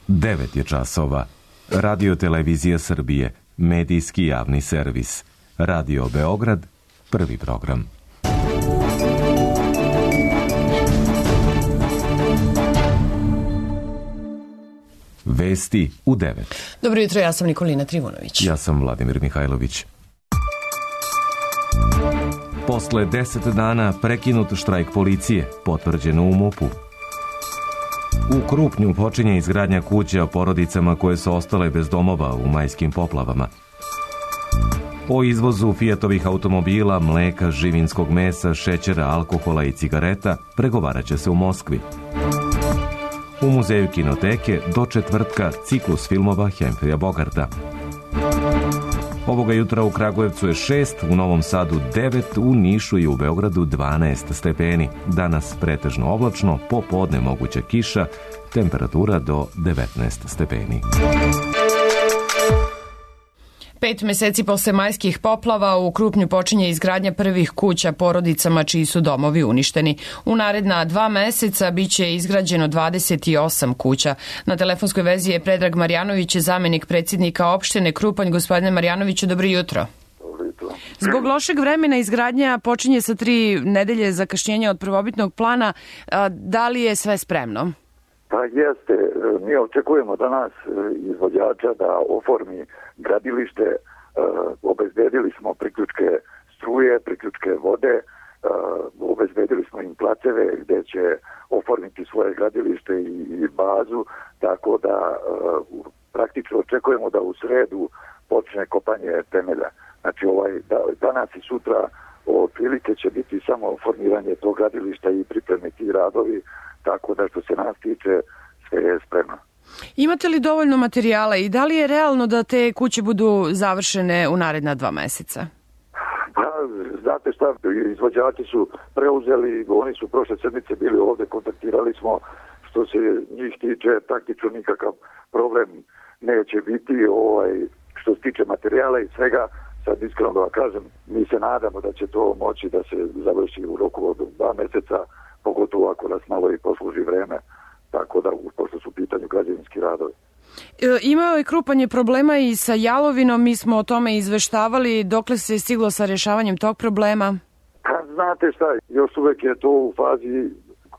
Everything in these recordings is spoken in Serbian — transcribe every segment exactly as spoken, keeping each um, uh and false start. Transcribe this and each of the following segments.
devet je časova. Radio Televizija Srbije, medijski javni servis. Radio Beograd, prvi program. Vesti u devet. Dobro jutro, ja sam Nikolina Trivunović. Ja sam Vladimir Mihajlović. Posle deset dana prekinut štrajk policije, potvrđeno u MUP-u. U Krupnju počinje izgradnja kuća porodicama koje su ostale bez domova u majskim poplavama. O izvozu Fijatovih automobila, mleka, živinskog mesa, šećera, alkohola i cigareta pregovarat će se u Moskvi. U muzeju kinoteke do četvrtka ciklus filmova Hemfrija Bogarta. Ovoga jutra u Kragujevcu je šest, u Novom Sadu devet, u Nišu i u Beogradu dvanaest stepeni. Danas pretežno oblačno, popodne moguća kiša, temperatura do devetnaest stepeni. Pet meseci posle majskih poplava u Krupnju počinje izgradnja prvih kuća porodicama čiji su domovi uništeni. U naredna dva meseca biće izgrađeno dvadeset osam kuća. Na telefonskoj vezi je Predrag Marjanović, zamenik predsjednika opštine Krupanj. Gospodine Marjanoviću, dobro jutro. Dobro jutro. Zbog lošeg vremena izgradnja počinje sa tri nedelje zakašnjenja od prvobitnog plana. Da li je sve spremno? Pa jeste, mi očekujemo danas izvođača da oformi gradilište, obezbedili smo priključke struje, priključke vode, obezbedili smo im placeve gde će oformiti svoje gradilište i bazu, tako da praktično očekujemo da u sredu počne kopanje temelja. Znači ovaj, danas i sutra otprilike će biti samo formiranje tog gradilišta i pripreme ti radovi, tako da što se nas tiče sve je spremno. Imate li dovoljno materijala i da li je realno da te kuće budu završene u naredna dva meseca? Pa, znate šta, izvođači su preuzeli, oni su prošle sedmice bili ovde, kontaktirali smo, što se njih tiče, praktično nikakav problem neće biti, ovaj, što se tiče materijala i svega, sad iskreno da vam kažem, mi se nadamo da će to moći da se završi u roku od dva meseca, pogotovo ako nas malo i posluži vreme, tako da, pošto su u pitanju građevinski radovi. E, imao je Krupanje problema i sa jalovinom, mi smo o tome izveštavali, dokle se stiglo sa rješavanjem tog problema? Pa, znate šta, još uvek je to u fazi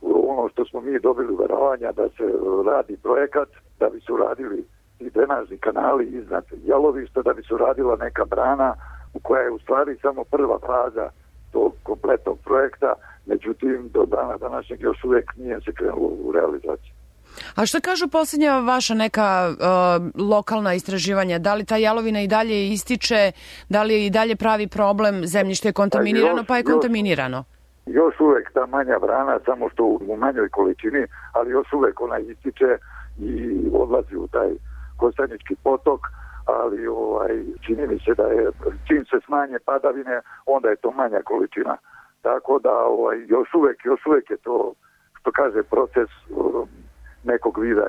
ono što smo mi dobili uveravanja da se radi projekat, da bi se uradili i drenažni kanali iznad jalovišta, da bi se uradila neka brana u koja je u stvari samo prva faza tog kompletnog projekta, međutim do dana današnjeg još uvijek nije se krenulo u realizaciju. A što kažu posljednja vaša neka uh, lokalna istraživanja? Da li ta jalovina i dalje ističe, da li i dalje pravi problem, zemljište je kontaminirano, pa, još, pa je kontaminirano? Još, još uvijek ta manja brana, samo što u manjoj količini, ali još uvijek ona ističe i odlazi u taj Kostanjički potok, ali ovaj, čini mi se da je, čim se smanje padavine, onda je to manja količina. Tako da ovaj, još uvek, još uvek je to, što kaže, proces um, nekog vida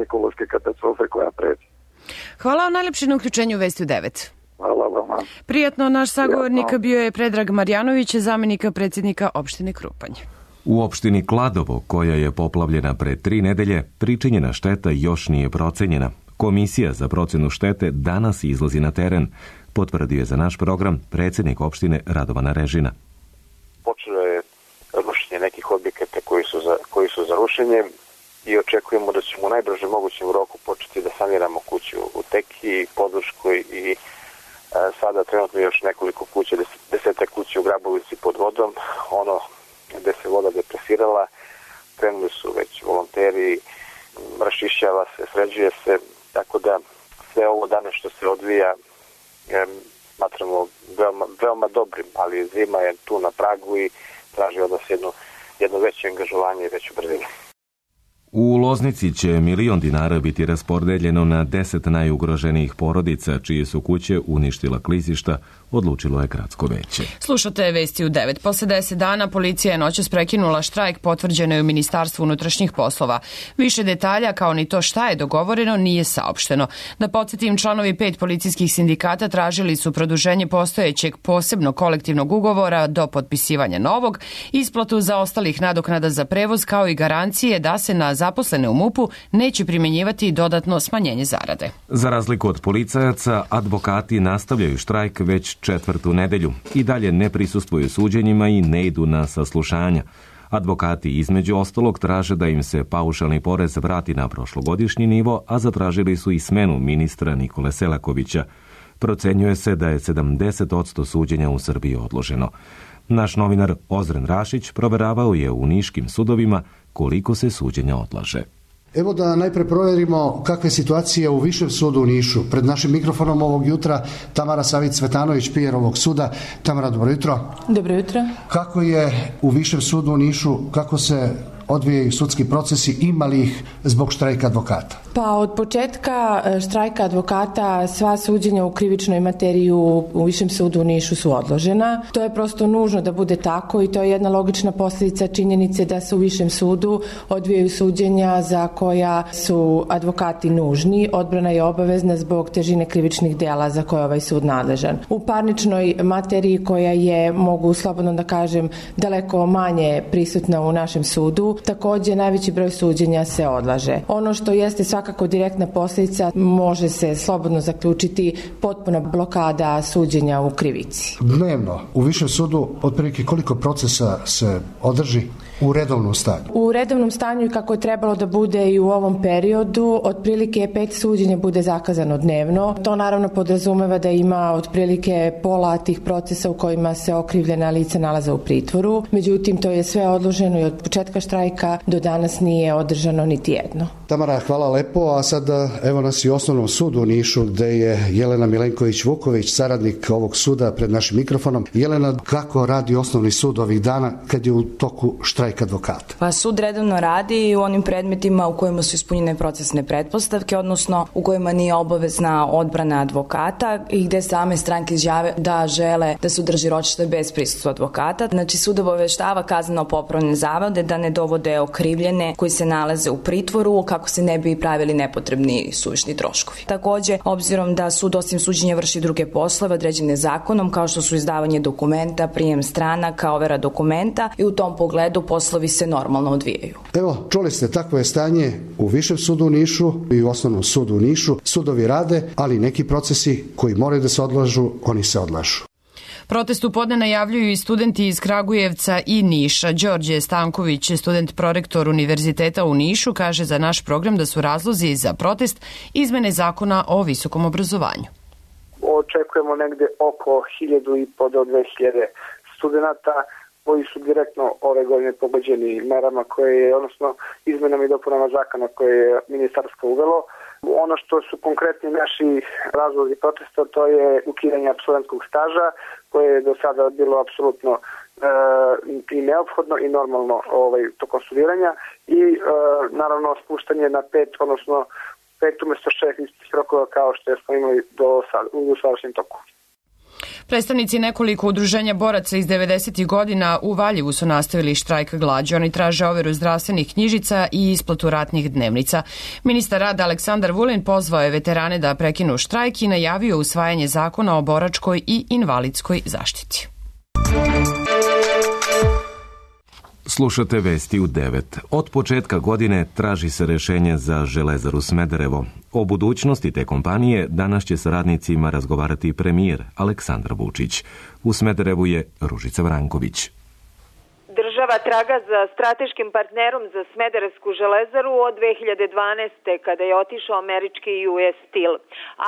ekološke katastrofe koja preti. Hvala vam najlepše na uključenju Vesti u devet. Hvala vama. Prijatno, naš sagovornik bio je Predrag Marjanović, zamenika predsjednika opštine Krupanj. U opštini Kladovo, koja je poplavljena pre tri nedelje, pričinjena šteta još nije procenjena. Komisija za procenu štete danas izlazi na teren, potvrdio je za naš program predsjednik opštine Radovan Režina. Počelo je rušenje nekih objekata koji su za, koji su za rušenje i očekujemo da ćemo u najbrže mogućem roku početi da saniramo kuću u Teki, Podluškoj i e, sada trenutno još nekoliko kuća, deset, deseta kuća u Grabovici pod vodom. Ono gde se voda depresirala, krenuli su već volonteri, rašišćava se, sređuje se, tako da sve ovo danas što se odvija e, smatramo veoma, veoma dobrim, ali zima je tu na pragu i traži od nas jedno, jedno veće angažovanje i veću brzinu. U Loznici će milion dinara biti raspoređeno na deset najugroženijih porodica čije su kuće uništila klizišta, odlučilo je gradsko veće. Slušate Vesti u devet. Posle deset dana policija je noćas prekinula štrajk, potvrđeno je u Ministarstvu unutrašnjih poslova. Više detalja, kao ni to šta je dogovoreno, nije saopšteno. Da podsjetim, članovi pet policijskih sindikata tražili su produženje postojećeg posebnog kolektivnog ugovora do potpisivanja novog, isplatu za ostalih nadoknada za prevoz, kao i garancije da se na zaposlene u MUP-u neće primjenjivati dodatno smanjenje zarade. Za razliku od policajaca, advokati nastavljaju štrajk već četvrtu nedelju. I dalje ne prisustvuju suđenjima i ne idu na saslušanja. Advokati između ostalog traže da im se paušalni porez vrati na prošlogodišnji nivo, a zatražili su i smenu ministra Nikole Selakovića. Procenjuje se da je sedamdeset posto suđenja u Srbiji odloženo. Naš novinar Ozren Rašić proveravao je u niškim sudovima koliko se suđenja odlaže. Evo da najpre provjerimo kakva je situacija u Višem sudu u Nišu. Pred našim mikrofonom ovog jutra Tamara Savić-Cvetanović, pijer ovog suda. Tamara, dobro jutro. Dobro jutro. Kako je u Višem sudu u Nišu, kako se odvijaju sudski procesi, ima li ih zbog štrajka advokata? Pa od početka štrajka advokata sva suđenja u krivičnoj materiji u Višem sudu u Nišu su odložena. To je prosto nužno da bude tako i to je jedna logična posljedica činjenice da se u Višem sudu odvijaju suđenja za koja su advokati nužni. Odbrana je obavezna zbog težine krivičnih dela za koje je ovaj sud nadležan. U parničnoj materiji koja je, mogu slobodno da kažem, daleko manje prisutna u našem sudu, također najveći broj suđenja se odlaže. Ono što jeste svakako direktna posljedica, može se slobodno zaključiti potpuna blokada suđenja u krivici. Dnevno u Višem sudu otprilike koliko procesa se održi u redovnom stanju? U redovnom stanju i kako je trebalo da bude i u ovom periodu, otprilike pet suđenja bude zakazano dnevno. To naravno podrazumeva da ima otprilike pola tih procesa u kojima se okrivljena lica nalaze u pritvoru. Međutim, to je sve odloženo i od početka štrajka do danas nije održano niti jedno. Tamara, hvala lepo, a sad evo nas i u Osnovnom sudu u Nišu gde je Jelena Milenković-Vuković, saradnik ovog suda, pred našim mikrofonom. Jelena, kako radi Osnovni sud ovih dana kad je u toku štrajka advokata? Pa sud redovno radi u onim predmetima u kojima su ispunjene procesne pretpostavke, odnosno u kojima nije obavezna odbrana advokata i gde same stranke izjave da žele da se održi ročište bez prisustva advokata. Znači sud obaveštava kazneno-popravne zavode da ne dovode okrivljene koji se nalaze u pritvoru kako se ne bi pravili nepotrebni suvišni troškovi. Takođe, obzirom da sud osim suđenja vrši druge poslove određene zakonom, kao što su izdavanje dokumenta, prijem stranaka, overa dokumenta, i u tom pogledu poslovi se normalno odvijaju. Evo, čuli ste, takvo je stanje u Višem sudu u Nišu i u Osnovnom sudu u Nišu. Sudovi rade, ali neki procesi koji moraju da se odlažu, oni se odlažu. Protest u podne najavljuju i studenti iz Kragujevca i Niša. Đorđe Stanković, student prorektor Univerziteta u Nišu, kaže za naš program da su razlozi za protest izmene zakona o visokom obrazovanju. Očekujemo negde oko hiljadu i po do dve hiljade studenta koji su direktno ove godine pogođeni merama koje je, odnosno izmenama i dopunama zakona koje je ministarstvo uvelo. Ono što su konkretni naši razlozi protesta, to je ukidanje apsolventskog staža, koje je do sada bilo apsolutno e, i neophodno i normalno ovaj, tokom studiranja i e, naravno spuštanje na pet, odnosno pet umjesto šest istih rokova kao što smo imali do sad, u sadašnjem toku. Predstavnici nekoliko udruženja boraca iz devedesetih godina u Valjevu su nastavili štrajk glađu. Oni traže overu zdravstvenih knjižica i isplatu ratnih dnevnica. Ministar rada Aleksandar Vulin pozvao je veterane da prekinu štrajk i najavio usvajanje zakona o boračkoj i invalidskoj zaštiti. Slušate vesti u devet. Od početka godine traži se rešenje za Železaru Smederevo. O budućnosti te kompanije danas će sa radnicima razgovarati premijer Aleksandar Vučić. U Smederevu je Ružica Vranković. Država traga za strateškim partnerom za Smederevsku železaru od dve hiljade dvanaeste. kada je otišao američki U S Steel.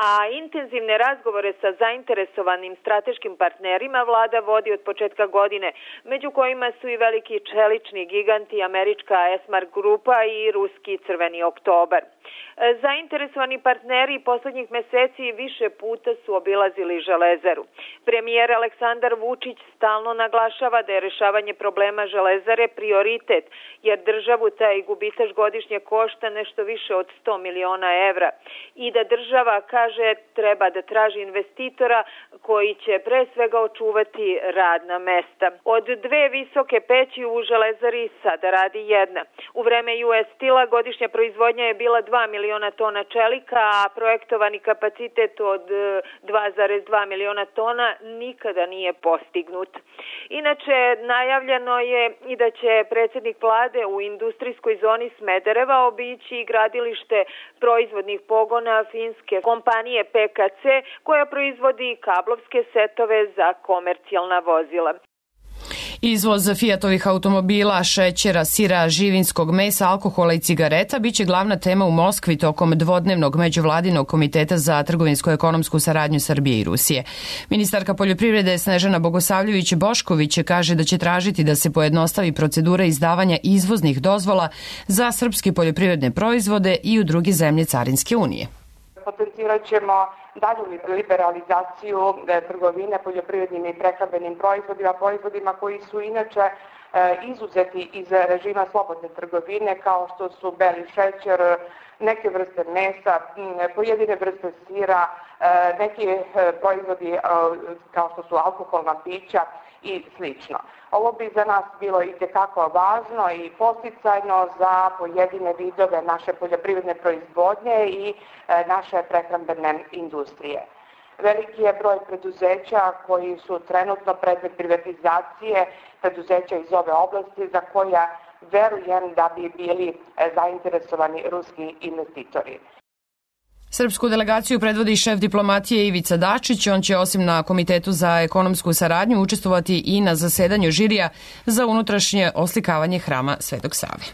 A intenzivne razgovore sa zainteresovanim strateškim partnerima vlada vodi od početka godine, među kojima su i veliki čelični giganti američka Esmark grupa i ruski Crveni oktobar. Zainteresovani partneri poslednjih meseci više puta su obilazili železaru. Premijer Aleksandar Vučić stalno naglašava da je rešavanje problema železare prioritet, jer državu taj gubitaš godišnje košta nešto više od sto miliona evra i da država, kaže, treba da traži investitora koji će pre svega očuvati radna mesta. Od dve visoke peći u železari sada radi jedna. U vreme U S Steel-a godišnja proizvodnja je bila dva miliona tona čelika, a projektovani kapacitet od dva zarez dva miliona tona nikada nije postignut. Inače, najavljeno je i da će predsjednik vlade u industrijskoj zoni Smedereva obići gradilište proizvodnih pogona finske kompanije P K C koja proizvodi kablovske setove za komercijalna vozila. Izvoz Fiatovih automobila, šećera, sira, živinskog mesa, alkohola i cigareta biće glavna tema u Moskvi tokom dvodnevnog međuvladinog komiteta za trgovinsko-ekonomsku saradnju Srbije i Rusije. Ministarka poljoprivrede Snežana Bogosavljević-Bošković kaže da će tražiti da se pojednostavi procedura izdavanja izvoznih dozvola za srpske poljoprivredne proizvode i u druge zemlje Carinske unije. Potencirat ćemo dalju liberalizaciju trgovine poljoprivrednim i prehrambenim proizvodima, proizvodima koji su inače izuzeti iz režima slobodne trgovine, kao što su beli šećer, neke vrste mesa, pojedine vrste sira, neki proizvodi kao što su alkoholna pića i slično. Ovo bi za nas bilo itekako važno i posticajno za pojedine vidove naše poljoprivredne proizvodnje i naše prehrambene industrije. Veliki je broj preduzeća koji su trenutno predmet privatizacije, preduzeća iz ove oblasti za koja verujem da bi bili zainteresovani ruski investitori. Srpsku delegaciju predvodi šef diplomatije Ivica Dačić. On će osim na Komitetu za ekonomsku saradnju učestvovati i na zasedanju žirija za unutrašnje oslikavanje hrama Svetog Save.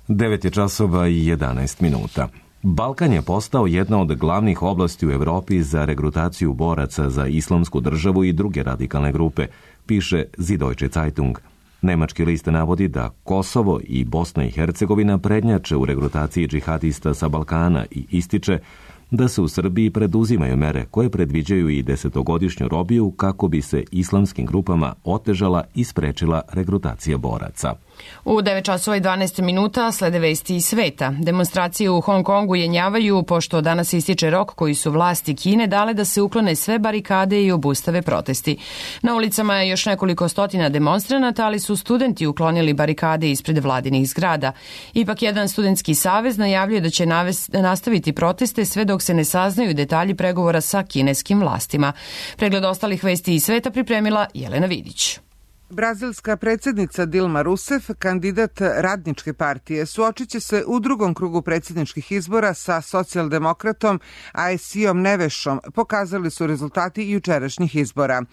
devet je časova i jedanaest minuta. Balkan je postao jedna od glavnih oblasti u Evropi za regrutaciju boraca za islamsku državu i druge radikalne grupe, piše Süddeutsche Zeitung. Nemački list navodi da Kosovo i Bosna i Hercegovina prednjače u regrutaciji džihadista sa Balkana i ističe da se u Srbiji preduzimaju mere koje predviđaju i desetogodišnju robiju kako bi se islamskim grupama otežala i sprečila regrutacija boraca. U devet časova i dvanaest minuta slede vesti iz sveta. Demonstracije u Hong Kongu jenjavaju pošto danas ističe rok koji su vlasti Kine dale da se uklone sve barikade i obustave protesti. Na ulicama je još nekoliko stotina demonstranata, ali su studenti uklonili barikade ispred vladinih zgrada. Ipak jedan studentski savez najavljuje da će nastaviti proteste sve dok se ne saznaju detalji pregovora sa kineskim vlastima. Pregled ostalih vesti iz sveta pripremila Jelena Vidić. Brazilska predsjednica Dilma Rousseff, kandidat Radničke partije, suočit će se u drugom krugu predsjedničkih izbora sa socijaldemokratom Aéciom Nevešom, pokazali su rezultati jučerašnjih izbora.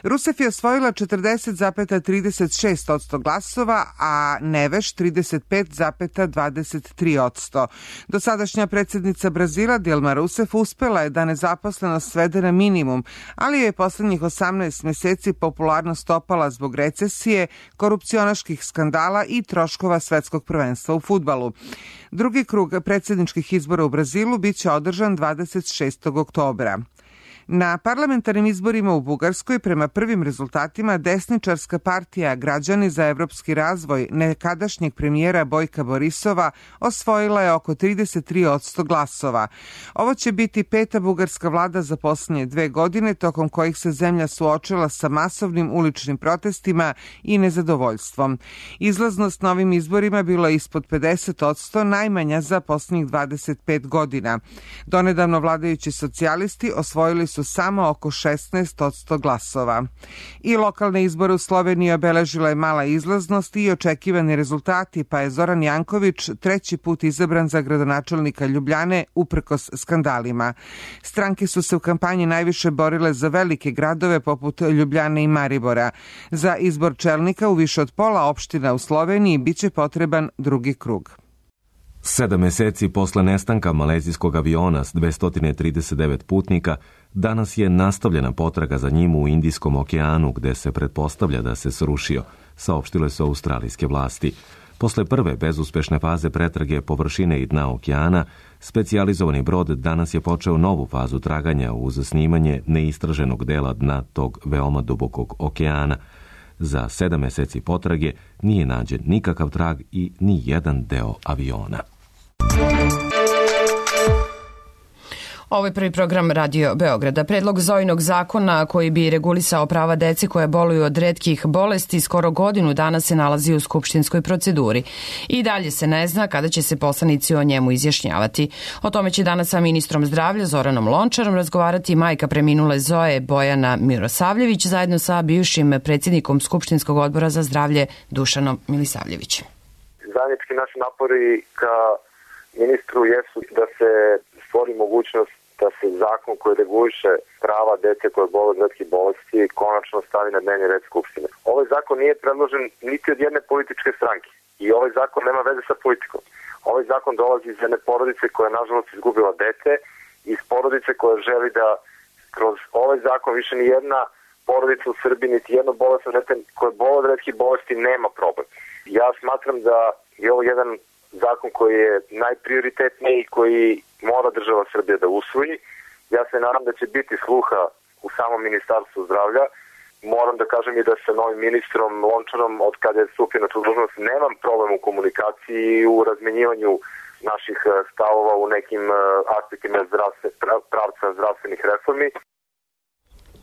Rousseff je osvojila četrdeset zarez trideset šest posto glasova, a Neveš trideset pet zarez dvadeset tri posto. Dosadašnja predsjednica Brazila Dilma Rousseff uspela je da nezaposlenost svede na minimum, ali je poslednjih osamnaest meseci popularnost opala zbog recesije, korupcionaških skandala i troškova svetskog prvenstva u fudbalu. Drugi krug predsjedničkih izbora u Brazilu biće održan dvadeset šestog oktobra. Na parlamentarnim izborima u Bugarskoj prema prvim rezultatima desničarska partija Građani za evropski razvoj nekadašnjeg premijera Bojka Borisova osvojila je oko trideset tri posto glasova. Ovo će biti peta bugarska vlada za posljednje dve godine, tokom kojih se zemlja suočila sa masovnim uličnim protestima i nezadovoljstvom. Izlaznost na ovim izborima bila je ispod pedeset posto, najmanja za posljednjih dvadeset pet godina. Donedavno vladajući socijalisti osvojili su su samo oko šesnaest posto glasova. I lokalne izbore u Sloveniji obeležila je mala izlaznost i očekivani rezultati, pa je Zoran Janković treći put izabran za gradonačelnika Ljubljane uprkos skandalima. Stranke su se u kampanji najviše borile za velike gradove poput Ljubljane i Maribora. Za izbor čelnika u više od pola opština u Sloveniji biće potreban drugi krug. Sedam meseci posle nestanka malezijskog aviona s dvesta trideset devet putnika, danas je nastavljena potraga za njim u Indijskom okeanu, gde se pretpostavlja da se srušio, saopštile su australijske vlasti. Posle prve bezuspešne faze pretrage površine i dna okeana, specijalizovani brod danas je počeo novu fazu traganja uz snimanje neistraženog dela dna tog veoma dubokog okeana. Za sedam meseci potrage nije nađen nikakav trag i ni jedan deo aviona. Ovo je prvi program Radio Beograda. Predlog Zojinog zakona koji bi regulisao prava dece koje boluju od retkih bolesti skoro godinu dana se nalazi u skupštinskoj proceduri. I dalje se ne zna kada će se poslanici o njemu izjašnjavati. O tome će danas sa ministrom zdravlja Zoranom Lončarom razgovarati majka preminule Zoe Bojana Mirosavljević zajedno sa bivšim predsjednikom Skupštinskog odbora za zdravlje Dušanom Milisavljevićem. Zajednički naši napori ka ministru jesu da se stvori mogućnost da se zakon koji reguliše prava dece koje boluju od retkih bolesti konačno stavi na dnevni red Skupštine. Ovaj zakon nije predložen niti od jedne političke stranke i ovaj zakon nema veze sa politikom. Ovaj zakon dolazi iz jedne porodice koja je nažalost izgubila dete, iz porodice koja želi da kroz ovaj zakon više ni jedna porodica u Srbiji, niti jedno bolesno dete koje boluje od retkih bolesti nema problem. Ja smatram da je ovo jedan zakon koji je najprioritetniji i koji mora država Srbije da usvoji. Ja se nadam da će biti sluha u samom ministarstvu zdravlja. Moram da kažem i da sa novim ministrom Lončarom, od kada je stupio na tu dužnost, nemam problem u komunikaciji i u razmenjivanju naših stavova u nekim aspektima zdravstve, pravca zdravstvenih reformi.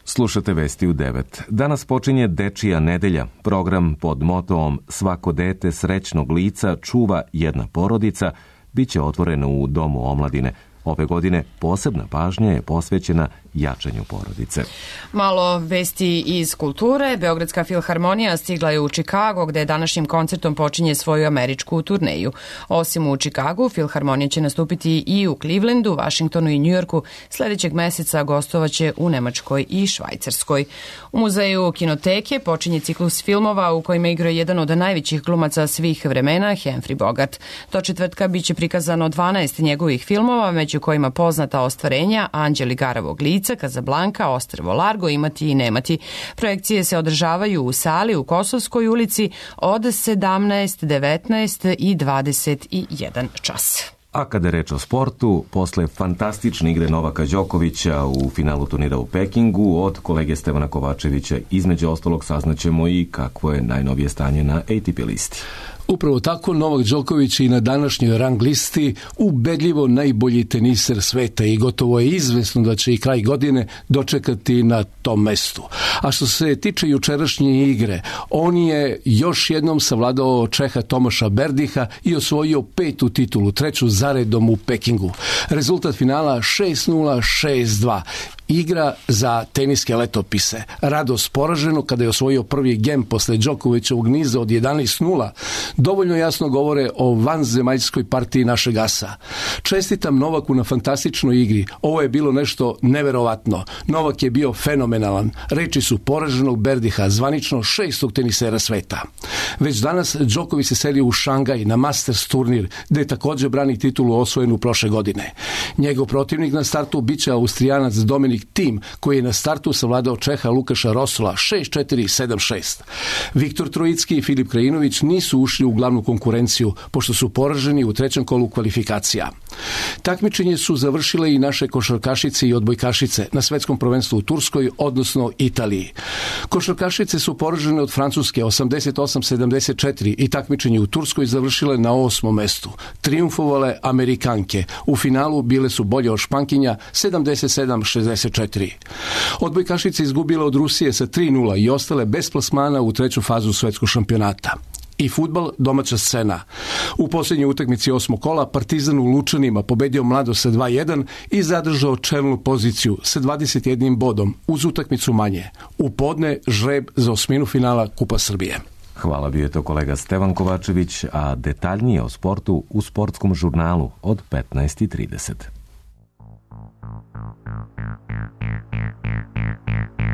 Slušate vesti u devet. Danas počinje Dečija nedelja, program pod motoom Svako dete srećnog lica čuva jedna porodica, bit će otvoreno u Domu omladine. Ove godine posebna pažnja je posvećena jačanju porodice. Malo vesti iz kulture. Beogradska filharmonija stigla je u Čikago, gde današnjim koncertom počinje svoju američku turneju. Osim u Čikagu, filharmonija će nastupiti i u Clevelandu, Vašingtonu i Njujorku. Sledećeg meseca gostovaće u Nemačkoj i Švajcarskoj. U muzeju Kinoteke počinje ciklus filmova u kojima igra jedan od najvećih glumaca svih vremena, Humphrey Bogart. Do četvrtka biće prikazano dvanaest njegovih filmova, među kojima poznata ostvarenja Anđeli Garavog lica, Kazablanka, Ostrvo Largo, Imati i nemati. Projekcije se održavaju u sali u Kosovskoj ulici od sedamnaest, devetnaest i dvadeset jedan čas. A kada je reč o sportu, posle fantastične igre Novaka Đokovića u finalu turnira u Pekingu, od kolege Stevana Kovačevića između ostalog saznaćemo i kakvo je najnovije stanje na A T P listi. Upravo tako, Novak Đoković i na današnjoj rang listi ubedljivo najbolji teniser sveta i gotovo je izvesno da će i kraj godine dočekati na tom mestu. A što se tiče jučerašnje igre, on je još jednom savladao Čeha Tomaša Berdiha i osvojio petu titulu, treću zaredom u Pekingu. Rezultat finala šest nula, šest dva. Igra za teniske letopise. Radost poraženo kada je osvojio prvi gem posle Đokovićevog niza od jedanaest nula dovoljno jasno govore o vanzemaljskoj partiji našeg asa. Čestitam Novaku na fantastičnoj igri. Ovo je bilo nešto neverovatno. Novak je bio fenomenalan. Reči su poraženog Berdiha, zvanično šestog tenisera sveta. Već danas Đoković se seli u Šangaj na Masters turnir, gde također brani titulu osvojenu prošle godine. Njegov protivnik na startu biće Austrijanac Dominik Thiem, koji je na startu savladao Čeha Lukaša Rosola šest četiri, sedam šest. Viktor Trojicki i Filip Krajinović nisu ušli u glavnu konkurenciju, pošto su poraženi u trećem kolu kvalifikacija. Takmičenje su završile i naše košarkašice i odbojkašice na svetskom prvenstvu u Turskoj, odnosno Italiji. Košarkašice su poražene od Francuske osamdeset osam sedamdeset četiri i takmičenje u Turskoj završile na osmom mestu. Triumfovale Amerikanke. U finalu bile su bolje od Špankinja sedamdeset sedam šezdeset četiri. Odbojkašice izgubile od Rusije sa tri nula i ostale bez plasmana u treću fazu svetskog šampionata. I fudbal, domaća scena. U posljednjoj utakmici osmog kola Partizan u Lučanima pobedio Mladost sa dva jedan i zadržao čelnu poziciju sa dvadeset jednim bodom uz utakmicu manje. U podne žreb za osminu finala Kupa Srbije. Hvala, bio je to kolega Stevan Kovačević, a detaljnije o sportu u sportskom žurnalu od petnaest i trideset.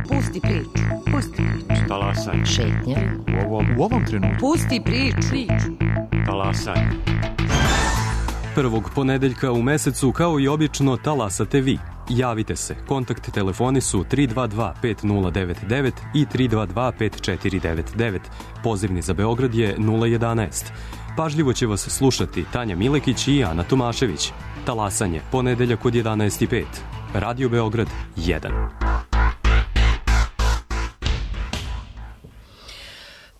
Pusti priču, pusti priču. Talasaj. Šetnja. U ovom, u ovom trenutku. Pusti priču. Talasaj. Prvog ponedeljka u mesecu, kao i obično, talasate vi. Javite se. Kontakt telefoni su tri dva dva pet nula devet devet i tri dva dva pet četiri devet devet. Pozivni za Beograd je nula jedanaest. Pažljivo će vas slušati Tanja Milekić i Ana Tomašević. Talasanje, ponedeljak od jedanaest i pet. Radio Beograd jedan.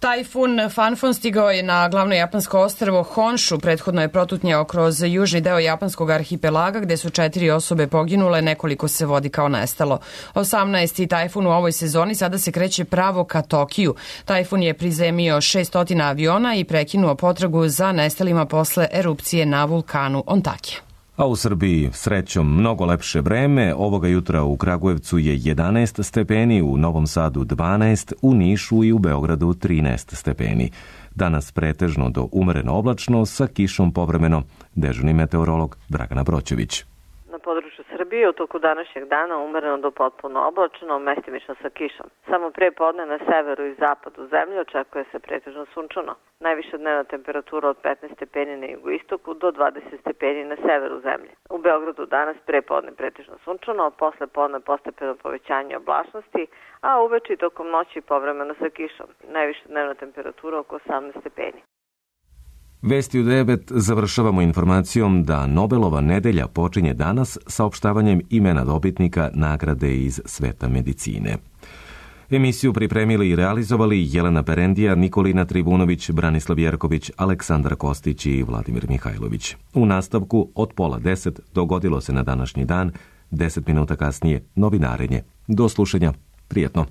Tajfun Fanfon stigao je na glavno japansko ostrvo Honshu, prethodno je protutnjao kroz južni deo japanskog arhipelaga gde su četiri osobe poginule, nekoliko se vodi kao nestalo. osamnaesti tajfun u ovoj sezoni sada se kreće pravo ka Tokiju. Tajfun je prizemio šesnaest aviona i prekinuo potragu za nestalima posle erupcije na vulkanu Ontake. A u Srbiji srećom mnogo lepše vreme. Ovoga jutra u Kragujevcu je jedanaest stepeni, u Novom Sadu dvanaest, u Nišu i u Beogradu trinaest stepeni. Danas pretežno do umereno oblačno sa kišom povremeno. Dežurni meteorolog Dragana Broćević. Na području Srbije u toku današnjeg dana umereno do potpuno oblačno, mestimično sa kišom. Samo pre podne na severu i zapadu zemlje očekuje se pretežno sunčano. Najviša dnevna temperatura od petnaest stepeni na jugoistoku do dvadeset stepeni na severu zemlje. U Beogradu danas pre podne pretežno sunčano, a posle podne postepeno povećanje oblačnosti, a uveče i tokom noći povremeno sa kišom. Najviša dnevna temperatura oko osamnaest stepeni. Vesti u devet završavamo informacijom da Nobelova nedelja počinje danas saopštavanjem imena dobitnika nagrade iz sveta medicine. Emisiju pripremili i realizovali Jelena Perendija, Nikolina Trivunović, Branislav Jerković, Aleksandar Kostić i Vladimir Mihajlović. U nastavku od pola deset dogodilo se na današnji dan, deset minuta kasnije novinarenje. Do slušanja, prijetno.